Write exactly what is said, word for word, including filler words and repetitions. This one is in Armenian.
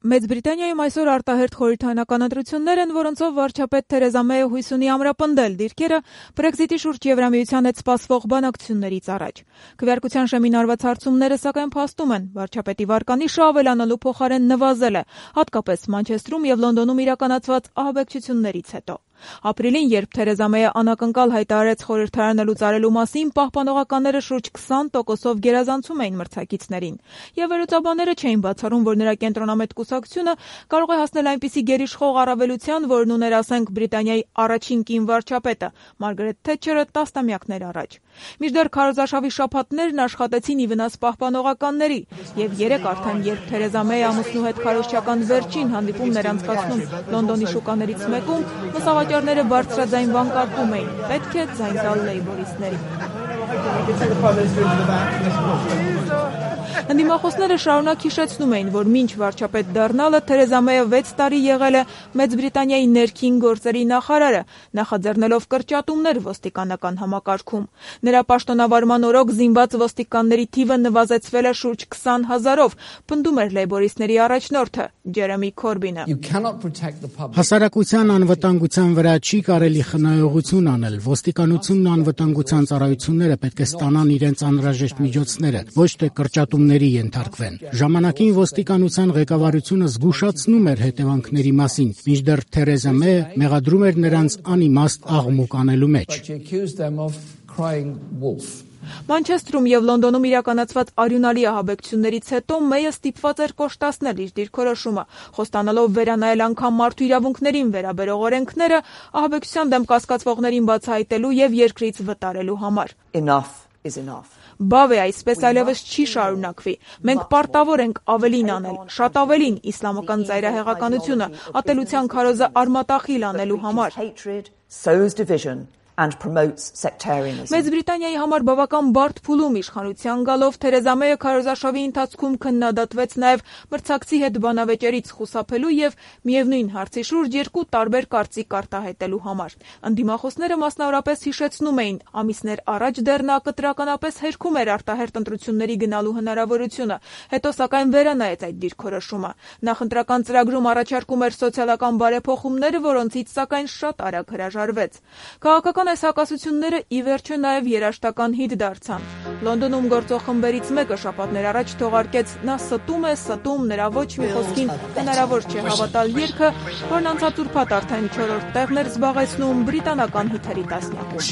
Մեծ Բրիտանիայում այսօր արտահերթ խորհրդարանական ընտրություններ են, որոնցով վարչապետ Թերեզա Մեյը հույս ունի ամրապնդել դիրքերը Բրեքզիտի շուրջ Եվրամիության հետ սպասվող բանակցություններից առաջ։ Քվեարկության շեմին արված հարցումները սակայն փաստում են, վարչապետի վարկանիշը ավելանալու փոխարեն նվազել է, հատկապես Մանչեստրում և Լոնդոնում իրականացված ահաբեկչություններից հետո։ Ապրիլին, երբ Թերեզա Մեյը անակնկալ հայտարարեց խորհրդարանը լուծարելու մասին, պահպանողականները շուրջ քսան տոկոսով գերազանցում էին մրցակիցներին, և վերլուծաբանները չէին բացառում, որ նրա կենտրոնամետ կուսակցությունը կարող է հասնել այնպիսի գերիշխող առավելության, որն ուներ, ասենք, Բրիտանիայի առաջին կին վարչապետը Մարգարետ Թետչերը տասնամյակներ առաջ։ Մինչդեռ քարոզարշավի շաբաթներն աշխատեցին ի վնաս պահպանողականների, և երեկ արդեն, երբ Թերեզա Մեյը ամուսնու հետ քարոզչական վերջին հանդիպումն էր անցկացնում Լոնդոնի շուկաներից մեկում, լուսավաճառները բարձրաձայն վանկարկում էին. պետք է ձայն տալ լեյբորիստներին։ Ընդդիմախոսները շարունակ հիշեցնում էին, որ մինչ վարչապետ դառնալը Թերեզա Մեյը վեց տարի եղել է Մեծ Բրիտանիայի ներքին գործերի նախարարը, նախաձեռնելով կրճատումներ ոստիկանական համակարգում։ Նրա պաշտոնավարման օրոք զինված ոստիկանների թիվը նվազեցվել է շուրջ քսան հազարով, պնդում էր լեյբորիստների առաջնորդը Ջերեմի Քորբինը։ Հասարակության անվտանգության վրա չի կարելի խնայողություն անել։ Ոստիկանությունն ու անվտանգության ծառայությունները պետք է ստանան իրենց անհրաժեշտ միջոցները, ոչ թե կրճատումների ենթարկվեն։ Ժամանակին ոստիկանության ղեկավարությունը զգուշացնում էր հետևանքների մասին, մինչդեռ Թերեզա Մեյը մեղադրում էր նրանց անիմաստ աղմուկ անելու մեջ։ Մանչեստրում և Լոնդոնում իրականացված արյունալի ահաբեկչություններից հետո Մեյը ստիպված էր կոշտացնել իր դիրքորոշումը, խոստանալով վերանայել անգամ մարդու իրավունքներին վերաբերող օրենքները ահաբեկչության դեմ կասկածվողներին բացահայտելու և երկրից վտարելու համար։ Բավ է, այսպես այլևս չի շարունակվի։ Մենք պարտավոր ենք ավելին անել, շատ ավելին իսլամական ծայրահեղականությունը, ատելության քարոզը արմատախիլ անելու համար։ Մեծ Բրիտանիայի համար բավական բարդ փուլում իշխանության գալով Թերեզա Մեյը քարոզարշավի ընթացքում քննադատվեց նաև մրցակցի հետ բանավեճերից խուսափելու և միևնույն հարցի շուրջ երկու տարբեր կարծիք արտահայտելու համար։ Ընդդիմախոսները մասնավորապես հիշեցնում էին, ամիսներ առաջ դեռ նա կտրականապես հերքում էր արտահերթ ընտրությունների գնալու հնարավորությունը, հետո սակայն վերանայեց այդ դիրքորոշումը։ Նախընտրական ծրագրում առաջարկում էր սոցիալական բարեփոխումներ, որոնցից սակայն շատ արագ հրաժարվեց։ Քաղաքական այս հակասությունները ի վերջո նաև երաժշտական հիթ դարձան։ Լոնդոնում գործող խմբերից մեկը շաբաթներ առաջ թողարկեց «Նա ստում է, ստում, նրա ոչ մի խոսքին հնարավոր չէ հավատալ» երգը, որն անցած ուրբաթ արդեն չորրորդ տեղն էր զբաղեցնում բրիտանական հիթերի տասնյակում։